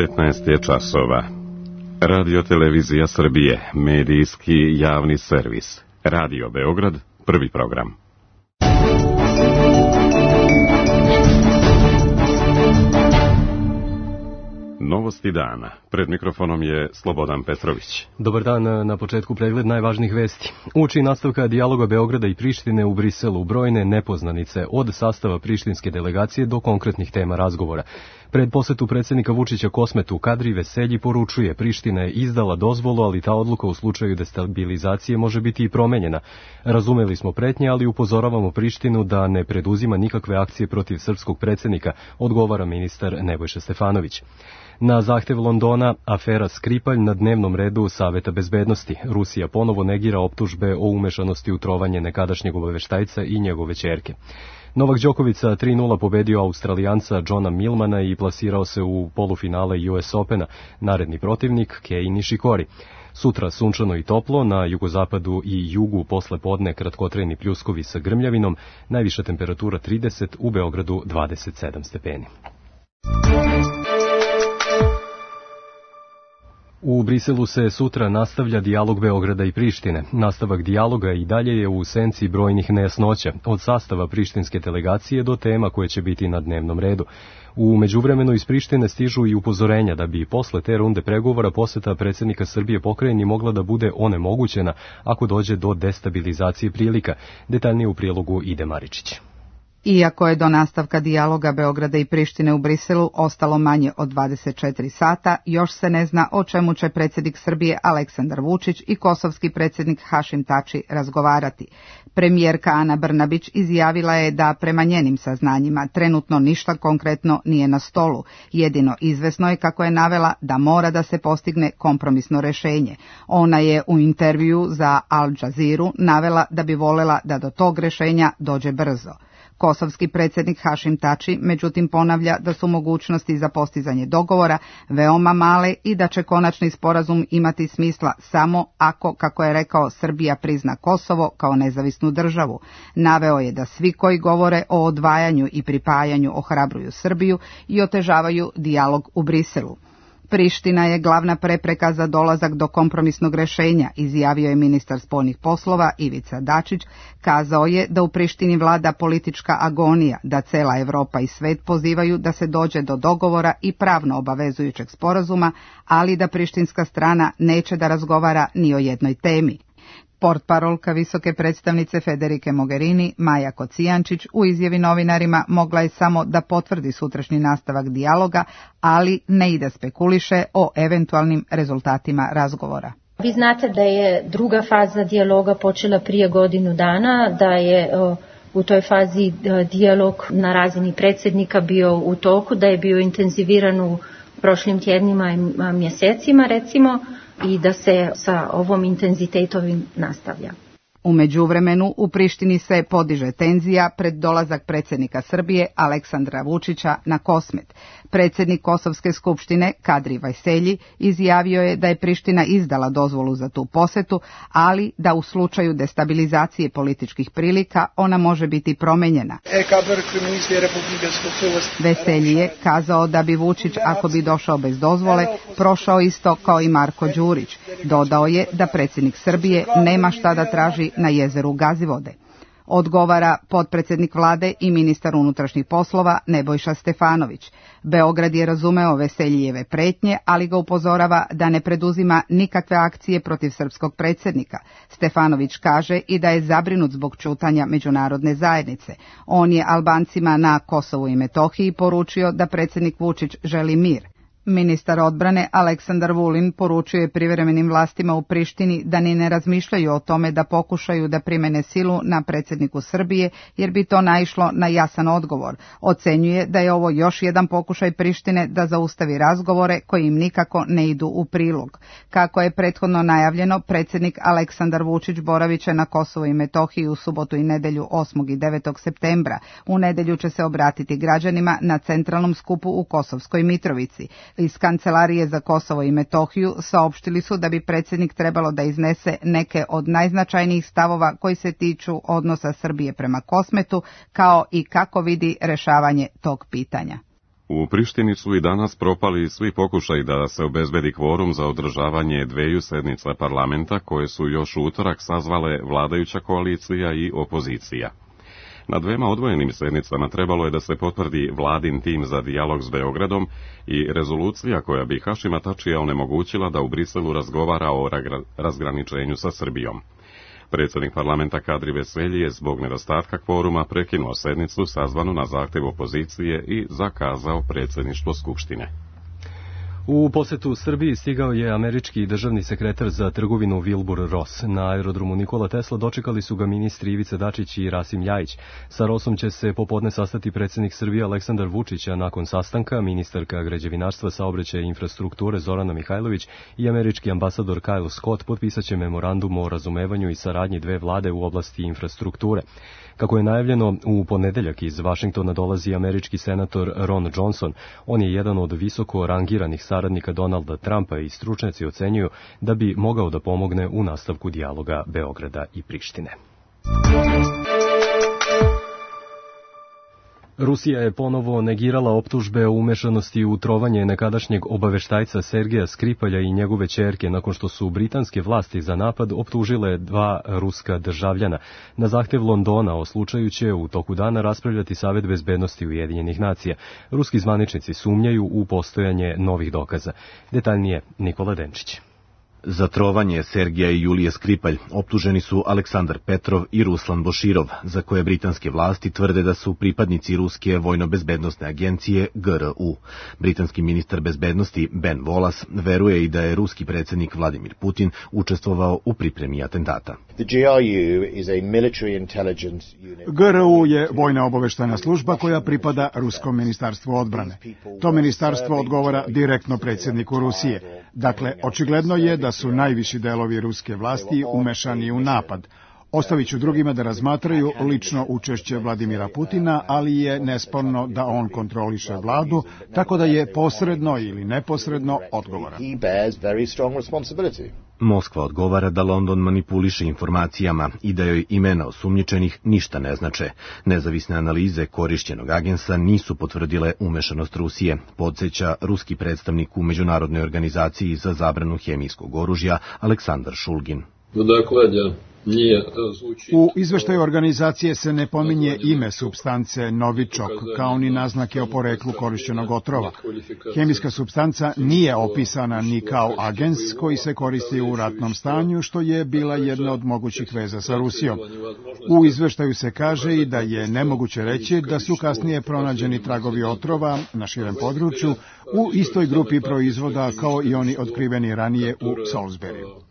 15 je časova. Radio Televizija Srbije, medijski javni servis. Radio Beograd, prvi program. Novosti dana. Pred mikrofonom je Slobodan Petrović. Dobar dan, na početku pregled najvažnijih vesti. Uoči nastavka dijaloga Beograda i Prištine u Briselu brojne nepoznanice od sastava prištinske delegacije do konkretnih tema razgovora. Pred posetu predsjednika Vučića Kosmetu Kadri Veselji poručuje Priština je izdala dozvolu, ali ta odluka u slučaju destabilizacije može biti i promenjena. Razumeli smo pretnje, ali upozoravamo Prištinu da ne preduzima nikakve akcije protiv srpskog predsjednika, odgovara ministar Nebojša Stefanović. Na zahtev Londona, afera Skripalj na dnevnom redu Saveta bezbednosti. Rusija ponovo negira optužbe o umešanosti u trovanje nekadašnjeg obaveštajca i njegove ćerke. Novak Đoković sa 3:0 pobedio Australijanca Johna Millmana i plasirao se u polufinale US Opena. Naredni protivnik Kei Nishikori. Sutra sunčano i toplo, na jugozapadu i jugu posle podne kratkotrajni pljuskovi sa grmljavinom, najviša temperatura 30, u Beogradu 27 stepeni. U Briselu se sutra nastavlja dijalog Beograda i Prištine. Nastavak dijaloga i dalje je u senci brojnih nejasnoća, od sastava prištinske delegacije do tema koje će biti na dnevnom redu. U međuvremenu iz Prištine stižu i upozorenja da bi posle te runde pregovora poseta predsjednika Srbije pokrajini mogla da bude onemogućena ako dođe do destabilizacije prilika. Detaljnije u prilogu Ide Maričić. Iako je do nastavka dijaloga Beograda i Prištine u Briselu ostalo manje od 24 sata, još se ne zna o čemu će predsjednik Srbije Aleksandar Vučić i kosovski predsjednik Hašim Tači razgovarati. Premijerka Ana Brnabić izjavila je da prema njenim saznanjima trenutno ništa konkretno nije na stolu. Jedino izvesno je, kako je navela, da mora da se postigne kompromisno rešenje. Ona je u intervjuu za Al Jazeeru navela da bi volela da do tog rešenja dođe brzo. Kosovski predsjednik Hašim Tači međutim ponavlja da su mogućnosti za postizanje dogovora veoma male i da će konačni sporazum imati smisla samo ako, kako je rekao, Srbija prizna Kosovo kao nezavisnu državu. Naveo je da svi koji govore o odvajanju i pripajanju ohrabruju Srbiju i otežavaju dijalog u Briselu. Priština je glavna prepreka za dolazak do kompromisnog rešenja, izjavio je ministar spoljnih poslova Ivica Dačić. Kazao je da u Prištini vlada politička agonija, da cela Evropa i svet pozivaju da se dođe do dogovora i pravno obavezujućeg sporazuma, ali da prištinska strana neće da razgovara ni o jednoj temi. Portparolka visoke predstavnice Federike Mogherini, Maja Kocijančić, u izjavi novinarima mogla je samo da potvrdi sutrašnji nastavak dijaloga, ali ne i da spekuliše o eventualnim rezultatima razgovora. Vi znate da je druga faza dijaloga počela prije godinu dana, da je u toj fazi dijalog na razini predsjednika bio u toku, da je bio intenziviran u prošlim tjednima i mjesecima recimo, i da se sa ovom intenzitetom nastavlja. U međuvremenu u Prištini se podiže tenzija pred dolazak predsjednika Srbije Aleksandra Vučića na Kosmet. Predsjednik Kosovske skupštine Kadri Veselji izjavio je da je Priština izdala dozvolu za tu posetu, ali da u slučaju destabilizacije političkih prilika ona može biti promenjena. Veselji je kazao da bi Vučić, ako bi došao bez dozvole, prošao isto kao i Marko Đurić. Dodao je da predsjednik Srbije nema šta da traži na jezeru Gazivode. Odgovara potpredsjednik vlade i ministar unutrašnjih poslova Nebojša Stefanović. Beograd je razumeo Veseljijeve pretnje, ali ga upozorava da ne preduzima nikakve akcije protiv srpskog predsjednika. Stefanović kaže i da je zabrinut zbog ćutanja međunarodne zajednice. On je Albancima na Kosovu i Metohiji poručio da predsjednik Vučić želi mir. Ministar odbrane Aleksandar Vulin poručio je privremenim vlastima u Prištini da ni ne razmišljaju o tome da pokušaju da primene silu na predsjedniku Srbije, jer bi to naišlo na jasan odgovor. Ocenjuje da je ovo još jedan pokušaj Prištine da zaustavi razgovore koji im nikako ne idu u prilog. Kako je prethodno najavljeno, predsjednik Aleksandar Vučić boravit će na Kosovu i Metohiji u subotu i nedelju 8. i 9. septembra. U nedelju će se obratiti građanima na centralnom skupu u Kosovskoj Mitrovici. Iz Kancelarije za Kosovo i Metohiju saopštili su da bi predsjednik trebalo da iznese neke od najznačajnijih stavova koji se tiču odnosa Srbije prema Kosmetu, kao i kako vidi rešavanje tog pitanja. U Prištini su i danas propali svi pokušaj da se obezbedi kvorum za održavanje dveju sednica parlamenta koje su još u utorak sazvale vladajuća koalicija i opozicija. Na dvema odvojenim sednicama trebalo je da se potvrdi vladin tim za dijalog s Beogradom i rezolucija koja bi Hašima Tačija onemogućila da u Briselu razgovara o razgraničenju sa Srbijom. Predsjednik parlamenta Kadri Veselji je zbog nedostatka kvoruma prekinuo sednicu sazvanu na zahtjev opozicije i zakazao predsjedništvo Skupštine. U posetu Srbiji stigao je američki državni sekretar za trgovinu Wilbur Ross. Na aerodromu Nikola Tesla dočekali su ga ministri Ivica Dačić i Rasim Ljajić. Sa Rossom će se popodne sastati predsjednik Srbije Aleksandar Vučić, a nakon sastanka ministarka građevinarstva, saobraćaja i infrastrukture Zorana Mihajlović i američki ambasador Kyle Scott potpisaće memorandum o razumevanju i saradnji dve vlade u oblasti infrastrukture. Kako je najavljeno, u ponedeljak iz Vašingtona dolazi američki senator Ron Johnson. On je jedan od visoko rangiranih saradnika Donalda Trumpa i stručnjaci ocenjuju da bi mogao da pomogne u nastavku dijaloga Beograda i Prištine. Rusija je ponovo negirala optužbe o umešanosti u trovanje nekadašnjeg obaveštajca Sergeja Skripalja i njegove ćerke nakon što su britanske vlasti za napad optužile dva ruska državljana. Na zahtjev Londona o slučaju će u toku dana raspravljati Savet bezbednosti Ujedinjenih nacija. Ruski zvaničnici sumnjaju u postojanje novih dokaza. Detaljnije Nikola Denčić. Za trovanje Sergeja i Julije Skripalj optuženi su Aleksandar Petrov i Ruslan Boširov, za koje britanske vlasti tvrde da su pripadnici ruske vojno-bezbednosne agencije GRU. Britanski ministar bezbednosti Ben Wallace veruje i da je ruski predsjednik Vladimir Putin učestvovao u pripremi atentata. GRU je vojna obaveštajna služba koja pripada Ruskom ministarstvu odbrane. To ministarstvo odgovara direktno predsjedniku Rusije. Dakle, očigledno je da su najviši delovi ruske vlasti umešani u napad. Ostavit ću drugima da razmatraju lično učešće Vladimira Putina, ali je nesporno da on kontroliše vladu, tako da je posredno ili neposredno odgovoran. Moskva odgovara da London manipuliše informacijama i da joj imena osumnjičenih ništa ne znače. Nezavisne analize korišćenog agensa nisu potvrdile umešanost Rusije, podsjeća ruski predstavnik u Međunarodnoj organizaciji za zabranu hemijskog oružja Aleksandar Šulgin. U izveštaju organizacije se ne pominje ime supstance novičok, kao ni naznake o poreklu korišćenog otrova. Hemijska supstanca nije opisana ni kao agens koji se koristi u ratnom stanju, što je bila jedna od mogućih veza sa Rusijom. U izveštaju se kaže i da je nemoguće reći da su kasnije pronađeni tragovi otrova na širem području u istoj grupi proizvoda kao i oni otkriveni ranije u Salisburyu.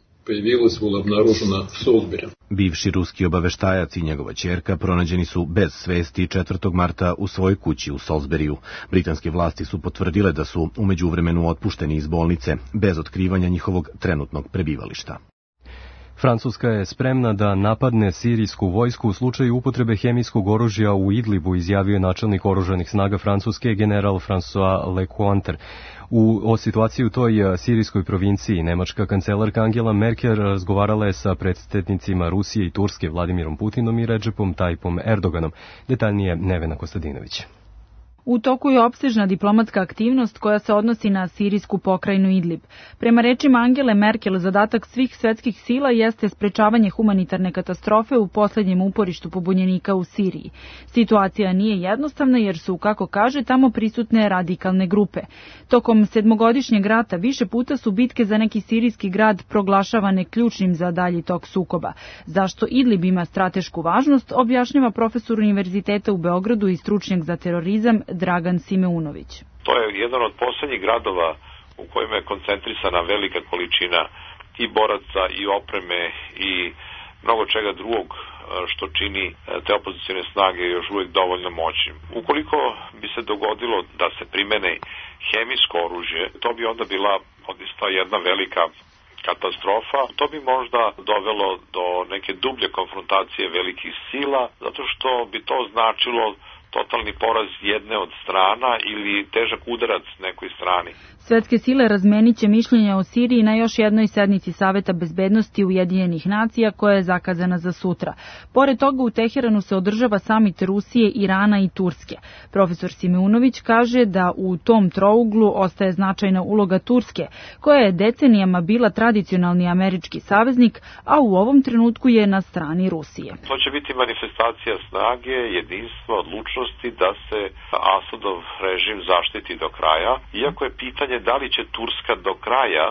Bivši ruski obaveštajac i njegova ćerka pronađeni su bez svesti 4. marta u svojoj kući u Salisburyu. Britanske vlasti su potvrdile da su u međuvremenu otpušteni iz bolnice, bez otkrivanja njihovog trenutnog prebivališta. Francuska je spremna da napadne sirijsku vojsku u slučaju upotrebe hemijskog oružja u Idlibu, izjavio je načelnik oružanih snaga Francuske general François Lecointre. O situaciji u toj sirijskoj provinciji nemačka kancelarka Angela Merkel razgovarala je sa predsjednicima Rusije i Turske Vladimirom Putinom i Recepom Tayyipom Erdoganom. Detaljnije Nevena Kostadinović. U toku je opsežna diplomatska aktivnost koja se odnosi na sirijsku pokrajinu Idlib. Prema rečima Angele Merkel, zadatak svih svetskih sila jeste sprečavanje humanitarne katastrofe u posljednjem uporištu pobunjenika u Siriji. Situacija nije jednostavna jer su, kako kaže, tamo prisutne radikalne grupe. Tokom 7-godišnjeg rata više puta su bitke za neki sirijski grad proglašavane ključnim za dalji tok sukoba. Zašto Idlib ima stratešku važnost, objašnjava profesor Univerziteta u Beogradu i stručnjak za terorizam Dragan Simeunović. To je jedan od posljednjih gradova u kojima je koncentrisana velika količina i boraca i opreme i mnogo čega drugog što čini te opozicione snage još uvijek dovoljno moćnim. Ukoliko bi se dogodilo da se primene hemijsko oružje, to bi onda bila odista jedna velika katastrofa. To bi možda dovelo do neke dublje konfrontacije velikih sila, zato što bi to značilo totalni poraz jedne od strana ili težak udarac nekoj strani. Svetske sile razmenit će mišljenja o Siriji na još jednoj sednici Saveta bezbednosti Ujedinjenih nacija koja je zakazana za sutra. Pored toga u Teheranu se održava samit Rusije, Irana i Turske. Profesor Simeunović kaže da u tom trouglu ostaje značajna uloga Turske, koja je decenijama bila tradicionalni američki saveznik, a u ovom trenutku je na strani Rusije. To će biti manifestacija snage, jedinstva, odlučnosti da se Asadov režim zaštiti do kraja, iako je pitanje da li će Turska do kraja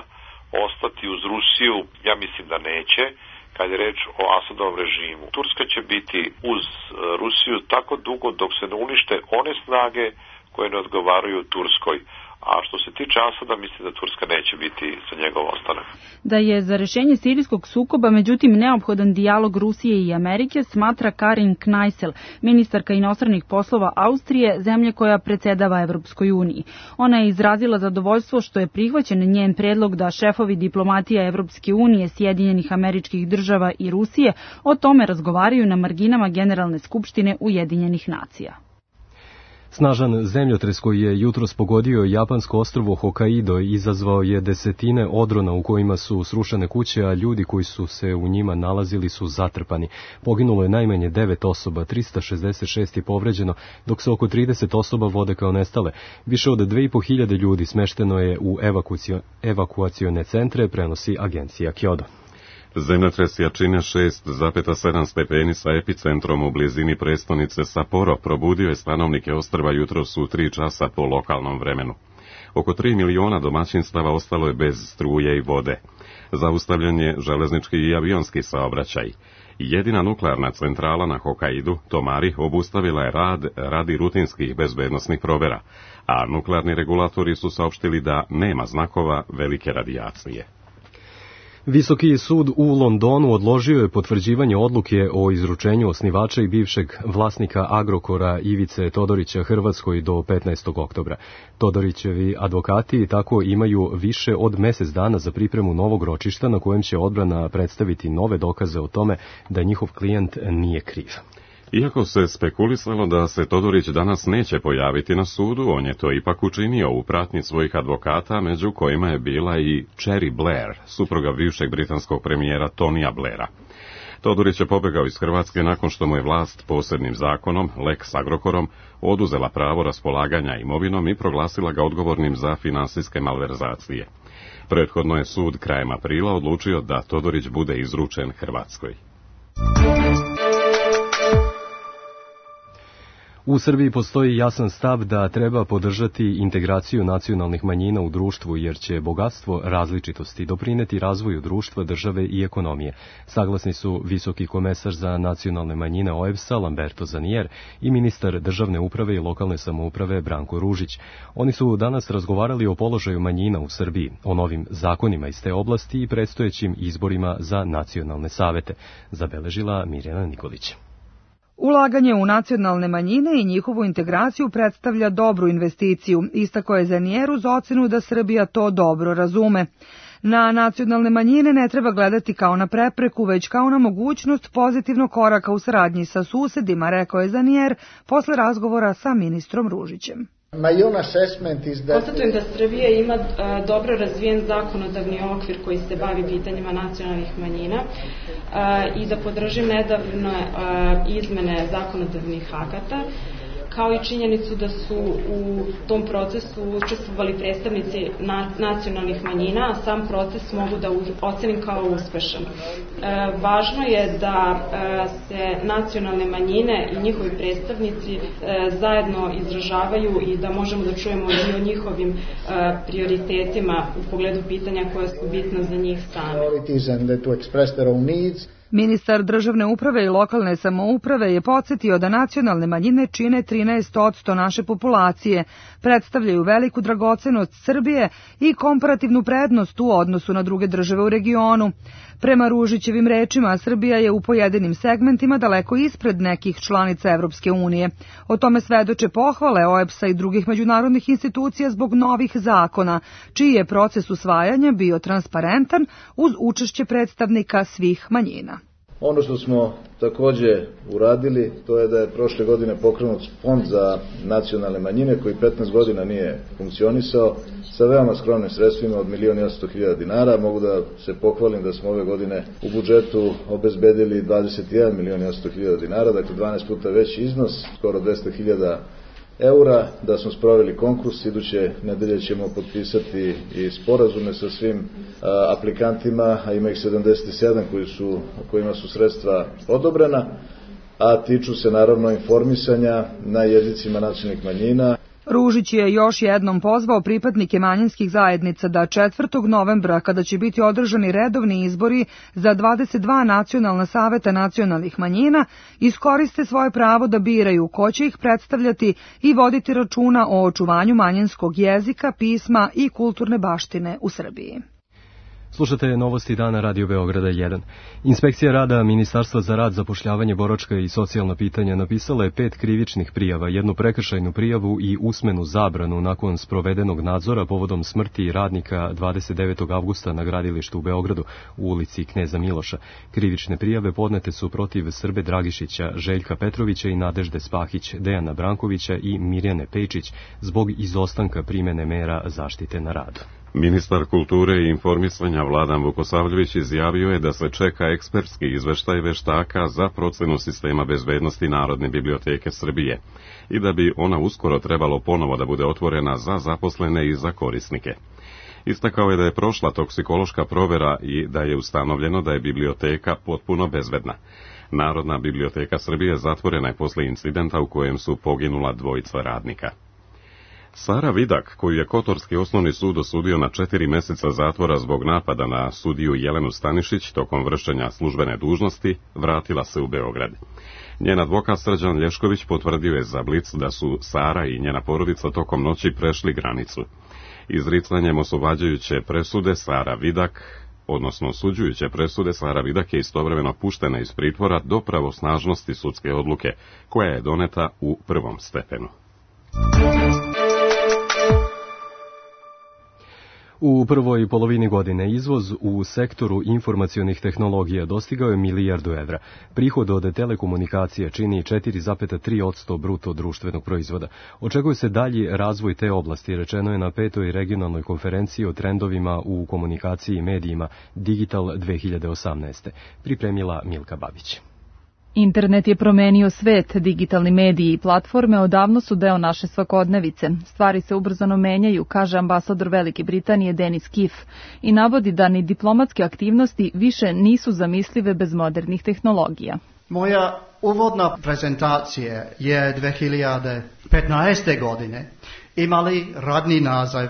ostati uz Rusiju, ja mislim da neće, kad je reč o Asadovom režimu. Turska će biti uz Rusiju tako dugo dok se ne unište one snage koje ne odgovaraju Turskoj. A što se tiče Asada, mislim da Turska neće biti za njegov ostanak. Da je za rešenje sirijskog sukoba međutim neophodan dijalog Rusije i Amerike, smatra Karin Kneissel, ministarka inostranih poslova Austrije, zemlje koja predsedava Evropskoj uniji. Ona je izrazila zadovoljstvo što je prihvaćen njen predlog da šefovi diplomatija Evropske unije, Sjedinjenih Američkih Država i Rusije o tome razgovaraju na marginama Generalne skupštine Ujedinjenih nacija. Snažan zemljotres koji je jutros pogodio japansko ostrvo Hokkaido izazvao je desetine odrona u kojima su srušene kuće, a ljudi koji su se u njima nalazili su zatrpani. Poginulo je najmanje 9 osoba, 366 je povređeno, dok se oko 30 osoba vode kao nestale. Više od 2500 ljudi smešteno je u evakuacione centre, prenosi agencija Kyodo. Zemljotres jačine 6,7 stepeni sa epicentrom u blizini prestonice Sapporo probudio je stanovnike ostrva jutros u 3 časa po lokalnom vremenu. Oko 3 miliona domaćinstava ostalo je bez struje i vode. Zaustavljen je železnički i avionski saobraćaj. Jedina nuklearna centrala na Hokkaidu, Tomari, obustavila je rad radi rutinskih bezbednosnih provera, a nuklearni regulatori su saopštili da nema znakova velike radijacije. Visoki sud u Londonu odložio je potvrđivanje odluke o izručenju osnivača i bivšeg vlasnika Agrokora Ivice Todorića Hrvatskoj do 15. oktobra. Todorićevi advokati tako imaju više od mjesec dana za pripremu novog ročišta na kojem će odbrana predstaviti nove dokaze o tome da njihov klijent nije kriv. Iako se spekulisalo da se Todorić danas neće pojaviti na sudu, on je to ipak učinio u pratnji svojih advokata, među kojima je bila i Cherry Blair, supruga bivšeg britanskog premijera Tonija Blaira. Todorić je pobegao iz Hrvatske nakon što mu je vlast posebnim zakonom, Lex Agrokorom, oduzela pravo raspolaganja imovinom i proglasila ga odgovornim za finansijske malverzacije. Prethodno je sud krajem aprila odlučio da Todorić bude izručen Hrvatskoj. U Srbiji postoji jasan stav da treba podržati integraciju nacionalnih manjina u društvu jer će bogatstvo različitosti doprineti razvoju društva, države i ekonomije. Saglasni su visoki komesar za nacionalne manjine OEBS-a Lamberto Zanier i ministar državne uprave i lokalne samouprave Branko Ružić. Oni su danas razgovarali o položaju manjina u Srbiji, o novim zakonima iz te oblasti i predstojećim izborima za nacionalne savete, zabeležila Mirjana Nikolić. Ulaganje u nacionalne manjine i njihovu integraciju predstavlja dobru investiciju, istakao je Zanier uz ocenu da Srbija to dobro razume. Na nacionalne manjine ne treba gledati kao na prepreku, već kao na mogućnost pozitivnog koraka u saradnji sa susedima, rekao je Zanier posle razgovora sa ministrom Ružićem. Konstatujem da Srbija ima dobro razvijen zakonodavni okvir koji se bavi pitanjima nacionalnih manjina i da podržim nedavne izmene zakonodavnih akata, kao i činjenicu da su u tom procesu učestvovali predstavnici nacionalnih manjina, a sam proces mogu da ocenim kao uspešan. Važno je da se nacionalne manjine i njihovi predstavnici zajedno izražavaju i da možemo da čujemo i o njihovim prioritetima u pogledu pitanja koja su bitna za njih same. Ministar državne uprave i lokalne samouprave je podsjetio da nacionalne manjine čine 13% naše populacije, predstavljaju veliku dragocenost Srbije i komparativnu prednost u odnosu na druge države u regionu. Prema Ružićevim rečima, Srbija je u pojedinim segmentima daleko ispred nekih članica Evropske unije. O tome svedoče pohvale OEBS-a i drugih međunarodnih institucija zbog novih zakona, čiji je proces usvajanja bio transparentan uz učešće predstavnika svih manjina. Ono što smo takođe uradili, to je da je prošle godine pokrenut fond za nacionalne manjine koji 15 godina nije funkcionisao sa veoma skromnim sredstvima od 1.800.000 dinara. Mogu da se pohvalim da smo ove godine u budžetu obezbedili 21.800.000 dinara, dakle 12 puta veći iznos, skoro 200.000 eura, da smo sproveli konkurs. Iduće nedelje ćemo potpisati i sporazume sa svim aplikantima, a ima ih 77 kojima su sredstva odobrena, a tiču se naravno informisanja na jezicima nacionalnih manjina. Ružić je još jednom pozvao pripadnike manjinskih zajednica da 4. novembra, kada će biti održani redovni izbori za 22 nacionalna saveta nacionalnih manjina, iskoriste svoje pravo da biraju ko će ih predstavljati i voditi računa o očuvanju manjinskog jezika, pisma i kulturne baštine u Srbiji. Slušate novosti dana Radio Beograda 1. Inspekcija rada Ministarstva za rad, zapošljavanje, boračka i socijalna pitanja napisala je 5 krivičnih prijava, 1 prekršajnu prijavu i usmenu zabranu nakon sprovedenog nadzora povodom smrti radnika 29. avgusta na gradilištu u Beogradu u ulici Kneza Miloša. Krivične prijave podnete su protiv Srbe Dragišića, Željka Petrovića i Nadežde Spahić, Dejana Brankovića i Mirjane Pejčić zbog izostanka primene mera zaštite na radu. Ministar kulture i informisanja Vladan Vukosavljević izjavio je da se čeka ekspertski izveštaj veštaka za procenu sistema bezbednosti Narodne biblioteke Srbije i da bi ona uskoro trebalo ponovo da bude otvorena za zaposlene i za korisnike. Istakao je da je prošla toksikološka provera i da je ustanovljeno da je biblioteka potpuno bezbedna. Narodna biblioteka Srbije zatvorena je posle incidenta u kojem su poginula 2 radnika. Sara Vidak, koju je Kotorski osnovni sud osudio na 4 meseca zatvora zbog napada na sudiju Jelenu Stanišić tokom vršenja službene dužnosti, vratila se u Beograd. Njen advokat Srđan Lješković potvrdio je za Blic da su Sara i njena porodica tokom noći prešli granicu. Izricanjem oslobađajuće presude Sara Vidak, odnosno osuđujuće presude, Sara Vidak je istovremeno puštena iz pritvora do pravosnažnosti sudske odluke, koja je doneta u prvom stepenu. U prvoj polovini godine izvoz u sektoru informacionih tehnologija dostigao je 1 milijardu evra. Prihod od telekomunikacija čini 4,3% bruto društvenog proizvoda. Očekuje se dalji razvoj te oblasti, rečeno je na 5. regionalnoj konferenciji o trendovima u komunikaciji i medijima Digital 2018. Pripremila Milka Babić. Internet je promenio svet, digitalni mediji i platforme odavno su deo naše svakodnevice. Stvari se ubrzano menjaju, kaže ambasador Velike Britanije Denis Kiff, i navodi da ni diplomatske aktivnosti više nisu zamislive bez modernih tehnologija. Moja uvodna prezentacija je 2015. godine imali radni naziv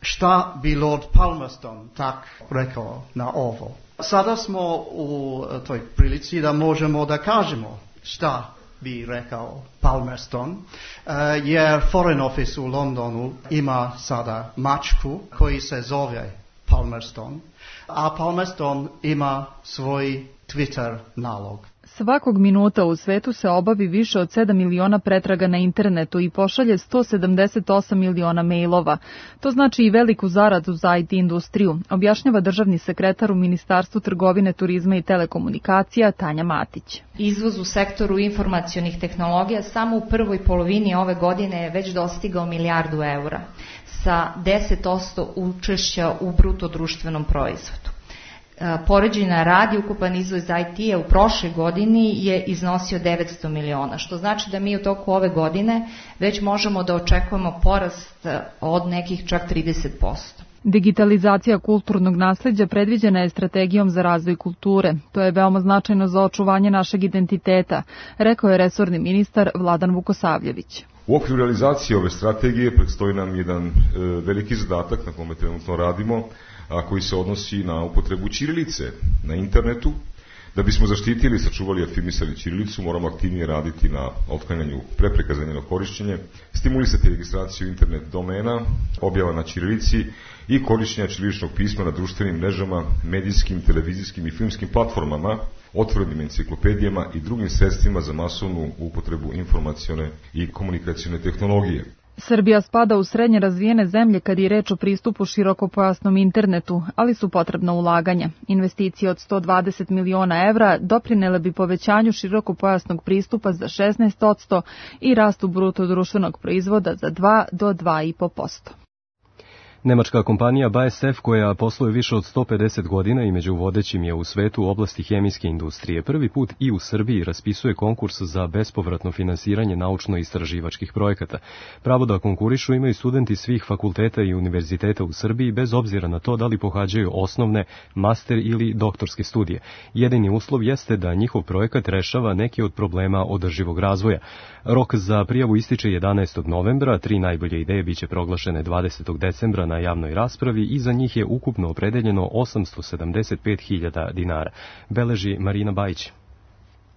Šta bi Lord Palmerston tak rekao na ovo. Sada smo u toj prilici da možemo da kažemo šta bi rekao Palmerston, jer Foreign Office u Londonu ima sada mačku koji se zove Palmerston, a Palmerston ima svoj Twitter nalog. Svakog minuta u svetu se obavi više od 7 miliona pretraga na internetu i pošalje 178 miliona mailova. To znači i veliku zaradu za IT industriju, objašnjava državni sekretar u Ministarstvu trgovine, turizma i telekomunikacija Tanja Matić. Izvoz u sektoru informacionih tehnologija samo u prvoj polovini ove godine je već dostigao 1 milijardu evra sa 10% učešća u bruto društvenom proizvodu. Poređenja radi, ukupan izvoz IT-a u prošloj godini je iznosio 900 miliona, što znači da mi u toku ove godine već možemo da očekujemo porast od nekih čak 30%. Digitalizacija kulturnog nasleđa predviđena je strategijom za razvoj kulture. To je veoma značajno za očuvanje našeg identiteta, rekao je resorni ministar Vladan Vukosavljević. U okviru realizacije ove strategije predstoji nam jedan veliki zadatak na kome trenutno radimo, a koji se odnosi na upotrebu ćirilice na internetu. Da bismo zaštitili, sačuvali i afirmisali ćirilicu, moramo aktivnije raditi na otklanjanju prepreka za njeno korišćenje, stimulisati registraciju internet domena, objava na ćirilici i korišćenja ćiriličnog pisma na društvenim mrežama, medijskim, televizijskim i filmskim platformama, otvorenim enciklopedijama i drugim sredstvima za masovnu upotrebu informacione i komunikacione tehnologije. Srbija spada u srednje razvijene zemlje kad je reč o pristupu širokopojasnom internetu, ali su potrebna ulaganja. Investicije od 120 miliona evra doprinele bi povećanju širokopojasnog pristupa za 16% i rastu bruto društvenog proizvoda za 2 do 2,5%. Nemačka kompanija BASF, koja posluje više od 150 godina i među vodećim je u svetu u oblasti hemijske industrije, prvi put i u Srbiji raspisuje konkurs za bespovratno finansiranje naučno-istraživačkih projekata. Pravo da konkurišu imaju studenti svih fakulteta i univerziteta u Srbiji, bez obzira na to da li pohađaju osnovne, master ili doktorske studije. Jedini uslov jeste da njihov projekat rešava neki od problema održivog razvoja. Rok za prijavu ističe 11. novembra, 3 najbolje ideje biće proglašene 20. decembra na javnoj raspravi i za njih je ukupno opredeljeno 875.000 dinara, beleži Marina Bajić.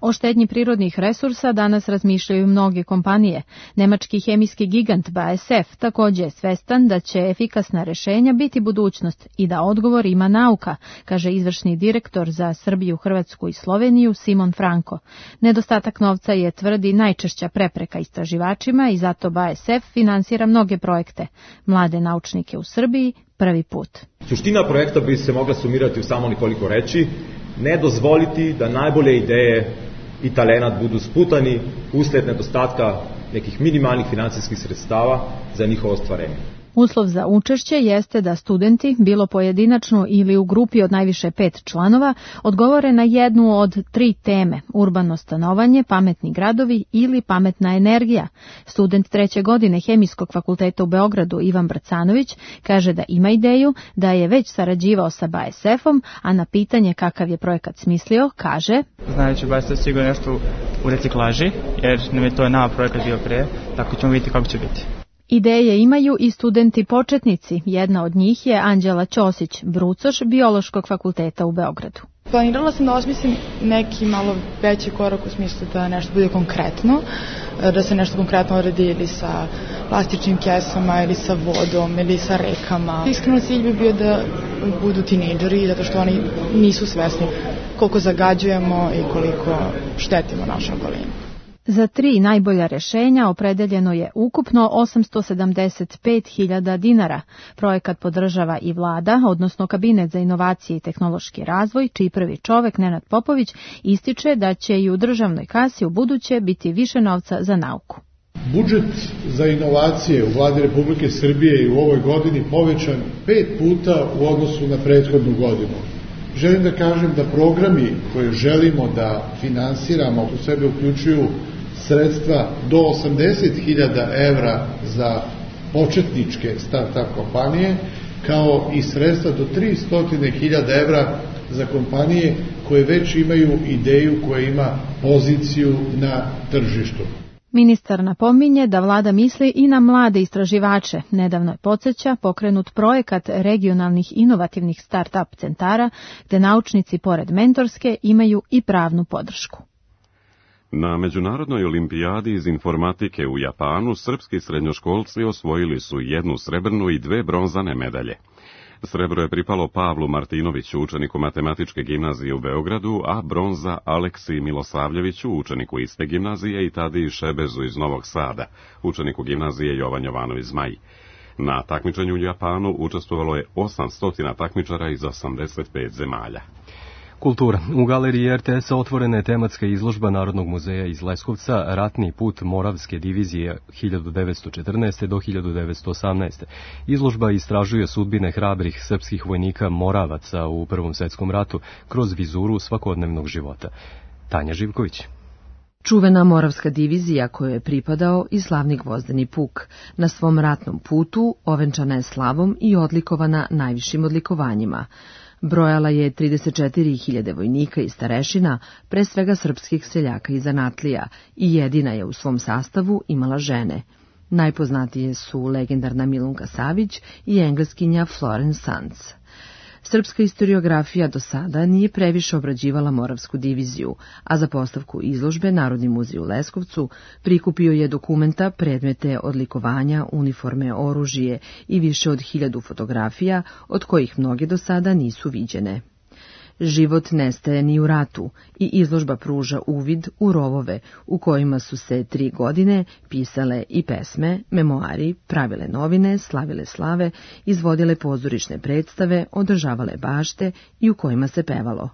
O štednji prirodnih resursa danas razmišljaju mnoge kompanije. Nemački hemijski gigant BASF također je svestan da će efikasna rešenja biti budućnost i da odgovor ima nauka, kaže izvršni direktor za Srbiju, Hrvatsku i Sloveniju Simon Franko. Nedostatak novca je, tvrdi, najčešća prepreka istraživačima i zato BASF finansira mnoge projekte. Mlade naučnike u Srbiji prvi put. Suština projekta bi se mogla sumirati u samo nekoliko reči: ne dozvoliti da najbolje ideje i talenat budu sputani usled nedostatka nekih minimalnih financijskih sredstava za njihovo ostvarenje. Uslov za učešće jeste da studenti, bilo pojedinačno ili u grupi od najviše 5 članova, odgovore na jednu od 3 teme: urbano stanovanje, pametni gradovi ili pametna energija. Student 3. godine Hemijskog fakulteta u Beogradu Ivan Brcanović kaže da ima ideju, da je već sarađivao sa BASF-om, a na pitanje kakav je projekat smislio, kaže: Znajući BASF sigurno nešto u reciklaži, jer nam je to nama projekat bio pre, tako ćemo vidjeti kako će biti. Ideje imaju i studenti početnici. Jedna od njih je Anđela Ćosić, brucoš Biološkog fakulteta u Beogradu. Planirala sam da osmislim neki malo veći korak u smislu da nešto bude konkretno, da se nešto konkretno uredi ili sa plastičnim kesama ili sa vodom ili sa rekama. Iskreno cilj bi bio da budu tinejdžeri, zato što oni nisu svesni koliko zagađujemo i koliko štetimo našoj okolini. Za 3 najbolja rešenja opredeljeno je ukupno 875.000 dinara. Projekat podržava i vlada, odnosno Kabinet za inovacije i tehnološki razvoj, čiji prvi čovek, Nenad Popović, ističe da će i u državnoj kasi u buduće biti više novca za nauku. Budžet za inovacije u Vladi Republike Srbije je u ovoj godini povećan 5 puta u odnosu na prethodnu godinu. Želim da kažem da programi koje želimo da finansiramo u sebe uključuju sredstva do 80.000 evra za početničke start-up kompanije, kao i sredstva do 300.000 evra za kompanije koje već imaju ideju, koja ima poziciju na tržištu. Ministar napominje da vlada misli i na mlade istraživače. Nedavno je, podsjeća, pokrenut projekat regionalnih inovativnih start-up centara, gde naučnici pored mentorske imaju i pravnu podršku. Na Međunarodnoj olimpijadi iz informatike u Japanu srpski srednjoškolci osvojili su 1 srebrnu i 2 bronzane medalje. Srebro je pripalo Pavlu Martinoviću, učeniku matematičke gimnazije u Beogradu, a bronza Aleksiji Milosavljeviću, učeniku iste gimnazije, i Tadiji Šebezu iz Novog Sada, učeniku gimnazije Jovan Jovanović Zmaj. Na takmičenju u Japanu učestvovalo je 800 takmičara iz 85 zemalja. Kultura. U galeriji RTS-a otvorena je tematska izložba Narodnog muzeja iz Leskovca Ratni put Moravske divizije 1914. do 1918. Izložba istražuje sudbine hrabrih srpskih vojnika Moravaca u Prvom svetskom ratu kroz vizuru svakodnevnog života. Tanja Živković. Čuvena Moravska divizija kojoj je pripadao i slavni Gvozdeni puk, na svom ratnom putu ovenčana je slavom i odlikovana najvišim odlikovanjima. Brojala je 34.000 vojnika i starešina, pre svega srpskih seljaka i zanatlija, i jedina je u svom sastavu imala žene. Najpoznatije su legendarna Milunka Savić i engleskinja Florence Sands. Srpska historiografija do sada nije previše obrađivala Moravsku diviziju, a za postavku izložbe Narodni muzej u Leskovcu prikupio je dokumenta, predmete, odlikovanja, uniforme, oružje i više od 1000 fotografija, od kojih mnoge do sada nisu viđene. Život nestaje ni u ratu i izložba pruža uvid u rovove u kojima su se 3 godine pisale i pesme, memoari, pravile novine, slavile slave, izvodile pozorišne predstave, održavale bašte i u kojima se pevalo.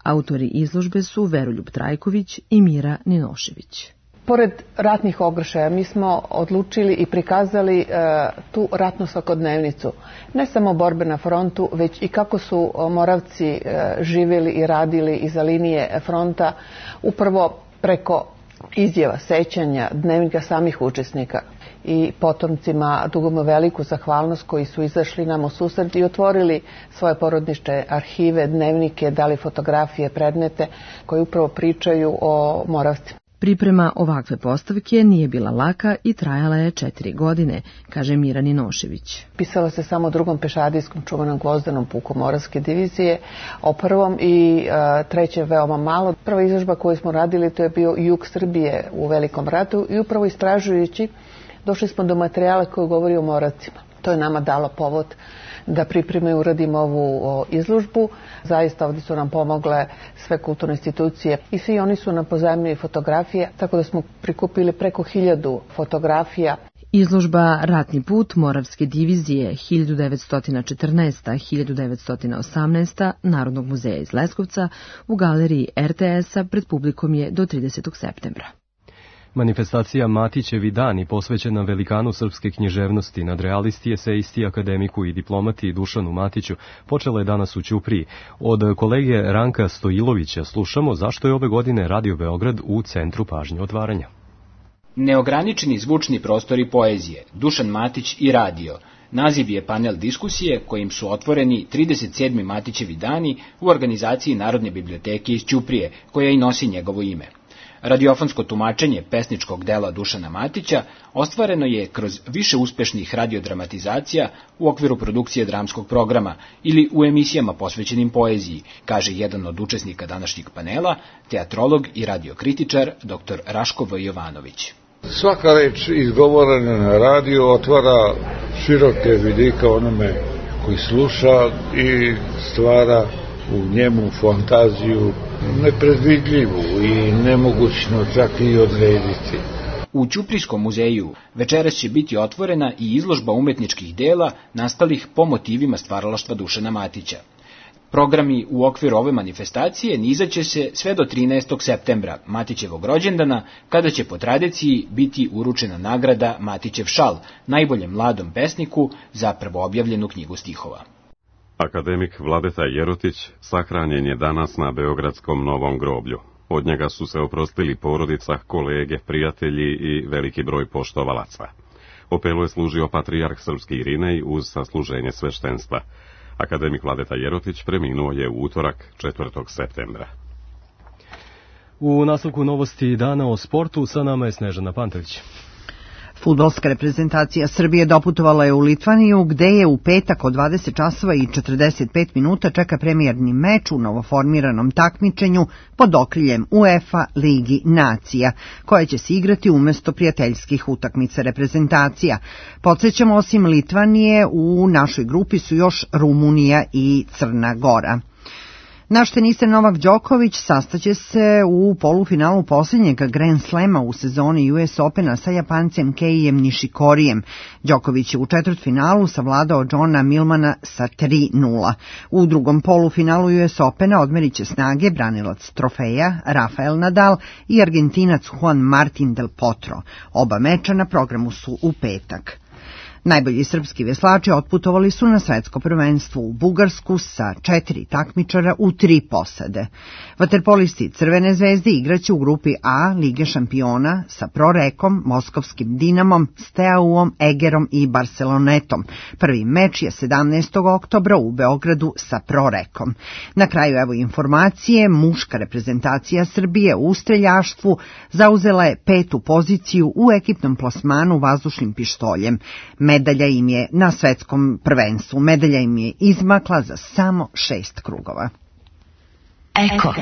Autori izložbe su Veroljub Trajković i Mira Ninošević. Pored ratnih okršaja mi smo odlučili i prikazali tu ratnu svakodnevnicu. Ne samo borbe na frontu, već i kako su Moravci živjeli i radili iza linije fronta, upravo preko izjava, sećanja, dnevnika samih učesnika. I potomcima dugujemo veliku zahvalnost koji su izašli nam u susret i otvorili svoje porodične arhive, dnevnike, dali fotografije, predmete koji upravo pričaju o Moravcima. Priprema ovakve postavke nije bila laka i trajala je 4 godine, kaže Mira Ninošević. Pisalo se samo o 2. pešadijskom čuvanom Gvozdenom puku Moravske divizije, o 1. i 3. veoma malo. Prva izložba koju smo radili to je bio jug Srbije u Velikom ratu i upravo istražujući došli smo do materijala koji govori o Moravcima. To je nama dalo povod da pripremimo i uradimo ovu izložbu. Zaista ovdje su nam pomogle sve kulturne institucije i svi oni su nam pozajmili fotografije, tako da smo prikupili preko 1000 fotografija. Izložba Ratni put Moravske divizije 1914-1918 Narodnog muzeja iz Leskovca u galeriji RTS-a pred publikom je do 30. septembra. Manifestacija Matićevi dani posvećena velikanu srpske književnosti, nadrealisti, esejisti, akademiku i diplomati Dušanu Matiću počela je danas u Ćupriji. Od kolege Ranka Stojilovića slušamo zašto je ove godine Radio Beograd u centru pažnje otvaranja. Neograničeni zvučni prostori poezije, Dušan Matić i radio. Naziv je panel diskusije kojim su otvoreni 37. Matićevi dani u organizaciji Narodne biblioteke iz Ćuprije, koja i nosi njegovo ime. Radiofonsko tumačenje pesničkog dela Dušana Matića ostvareno je kroz više uspešnih radiodramatizacija u okviru produkcije dramskog programa ili u emisijama posvećenim poeziji, kaže jedan od učesnika današnjeg panela, teatrolog i radiokritičar dr. Raško V. Jovanović. Svaka reč izgovorena na radiju otvara široke vidike onome koji sluša i stvara u njemu fantaziju nepredvidljivu i nemogućno čak i odrediti. U Ćuprijskom muzeju večeras će biti otvorena i izložba umetničkih dela nastalih po motivima stvaralaštva Dušana Matića. Programi u okviru ove manifestacije nizaće se sve do 13. septembra, Matićevog rođendana, kada će po tradiciji biti uručena nagrada Matićev šal, najboljem mladom pesniku za prvoobjavljenu knjigu stihova. Akademik Vladeta Jerotić sahranjen je danas na Beogradskom Novom groblju. Od njega su se oprostili porodica, kolege, prijatelji i veliki broj poštovalaca. Opelu je služio patrijarh srpski Irinej uz sasluženje sveštenstva. Akademik Vladeta Jerotić preminuo je u utorak 4. septembra. U nastavku novosti dana o sportu sa nama je Snežana Pantović. Fudbalska reprezentacija Srbije doputovala je u Litvaniju, gde je u petak od 20 časova i 45 minuta čeka premijerni meč u novoformiranom takmičenju pod okriljem UEFA Ligi nacija, koja će se igrati umesto prijateljskih utakmica reprezentacija. Podsjećamo, osim Litvanije, u našoj grupi su još Rumunija i Crna Gora. Naš teniser Novak Đoković sastaće se u polufinalu posljednjeg Grand Slema u sezoni US Opena sa Japancem Keijem Nishikorijem. Đoković je u četvrtfinalu savladao Johna Millmana sa 3-0. U drugom polufinalu US Opena odmerit će snage branilac trofeja Rafael Nadal i Argentinac Juan Martin del Potro. Oba meča na programu su u petak. Najbolji srpski veslači otputovali su na svetsko prvenstvo u Bugarsku sa 4 takmičara u 3 posade. Vaterpolisti Crvene zvezde igraće u grupi A Lige šampiona sa Prorekom, Moskovskim Dinamom, Steauom, Egerom i Barcelonetom. Prvi meč je 17. oktobra u Beogradu sa Prorekom. Na kraju evo informacije, muška reprezentacija Srbije u streljaštvu zauzela je 5. poziciju u ekipnom plasmanu vazdušnim pištoljem. Medalja im je na svetskom prvenstvu. Medalja im je izmakla za samo 6 krugova. Eko.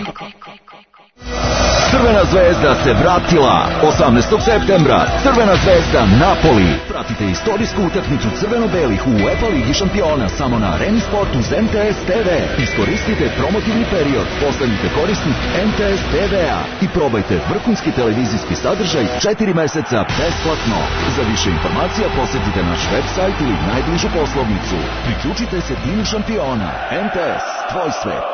Crvena zvezda se vratila. 18. septembra Crvena zvezda Napoli. Pratite istorijsku utakmicu crveno-belih u UEFA Ligi šampiona samo na Arena Sport uz MTS TV. Iskoristite promotivni period, postanite korisnik MTS TV-a i probajte vrhunski televizijski sadržaj 4 meseca besplatno. Za više informacija posjetite naš website ili najbližu poslovnicu. Priključite se timu šampiona. MTS, tvoj svet.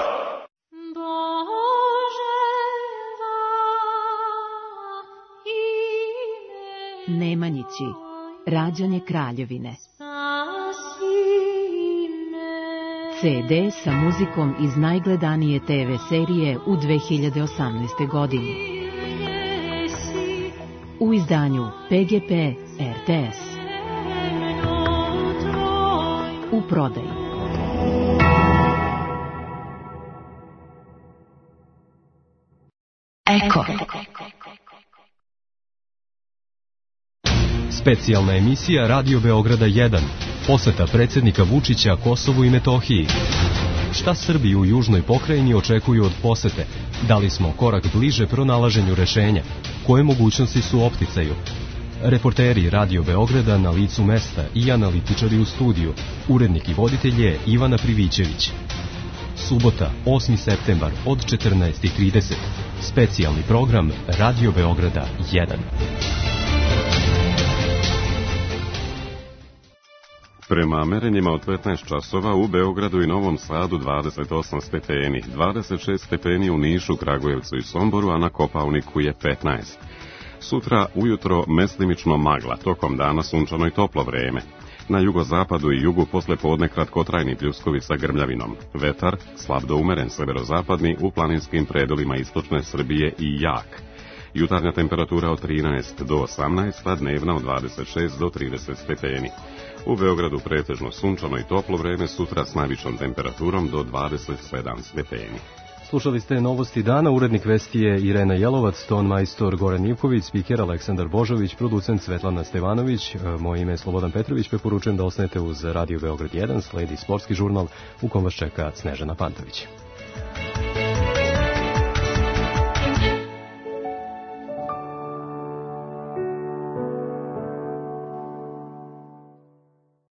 Nemanjići, rađanje kraljevine. CD sa muzikom iz najgledanije TV serije u 2018. godini. U izdanju PGP RTS. U prodaji. Eko. Specijalna emisija Radio Beograda 1. Poseta predsjednika Vučića Kosovu i Metohiji. Šta Srbi u južnoj pokrajini očekuju od posete? Da li smo korak bliže pronalaženju rešenja? Koje mogućnosti su u opticaju? Reporteri Radio Beograda na licu mesta i analitičari u studiju. Urednik i voditelj je Ivana Privićević. Subota, 8. septembar od 14:30. Specijalni program Radio Beograda 1. Prema merenjima od 15 časova u Beogradu i Novom Sadu 28 stepeni, 26 stepeni u Nišu, Kragujevcu i Somboru, a na Kopaoniku je 15. Sutra ujutro mestimično magla, tokom dana sunčano i toplo vreme. Na jugozapadu i jugu posle podne kratkotrajni pljuskovi sa grmljavinom. Vetar slab do umeren severozapadni, u planinskim predolima istočne Srbije i jak. Jutarnja temperatura od 13 do 18, a dnevna od 26 do 30 stepeni. U Beogradu pretežno sunčano i toplo vreme, sutra s najvišom temperaturom do 27 stepeni. Slušali ste novosti dana, urednik vesti je Irena Jelovac, ton majstor Goran Ivković, spiker Aleksandar Božović, producent Svetlana Stevanović, moje ime je Slobodan Petrović, preporučujem da ostanete uz Radio Beograd 1, sledi sportski žurnal u kom vas čeka Snežana Pantović.